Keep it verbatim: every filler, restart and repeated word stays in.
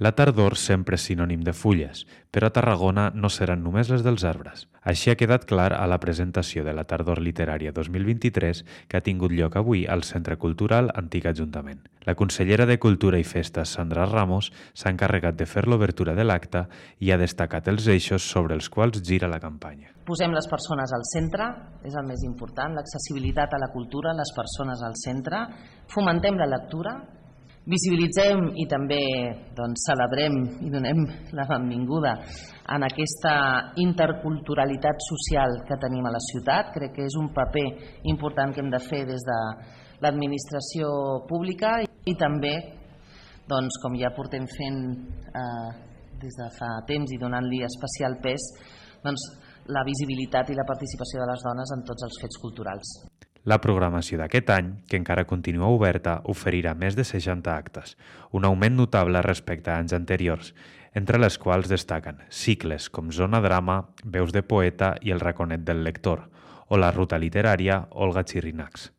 La tardor sempre és sinònim de fulles, però a Tarragona no seran només les dels arbres. Així ha quedat clar a la presentació de la Tardor Literària dos mil vint-i-tres que ha tingut lloc avui al Centre Cultural Antic Ajuntament. La consellera de Cultura i Festes, Sandra Ramos, s'ha encarregat de fer l'obertura de l'acte i ha destacat els eixos sobre els quals gira la campanya. Posem les persones al centre, és el més important, l'accessibilitat a la cultura, les persones al centre, fomentem la lectura, visibilitzem i també doncs, celebrem i donem la benvinguda en aquesta interculturalitat social que tenim a la ciutat. Crec que és un paper important que hem de fer des de l'administració pública i també, doncs, com ja portem fent eh, des de fa temps i donant-li especial pes, doncs, la visibilitat i la participació de les dones en tots els fets culturals. La programació d'aquest any, que encara continua oberta, oferirà més de seixanta actes, un augment notable respecte a anys anteriors, entre les quals destaquen cicles com Zona Drama, Veus de Poeta i El Raconet del Lector, o la ruta literària Olga Chirinacs.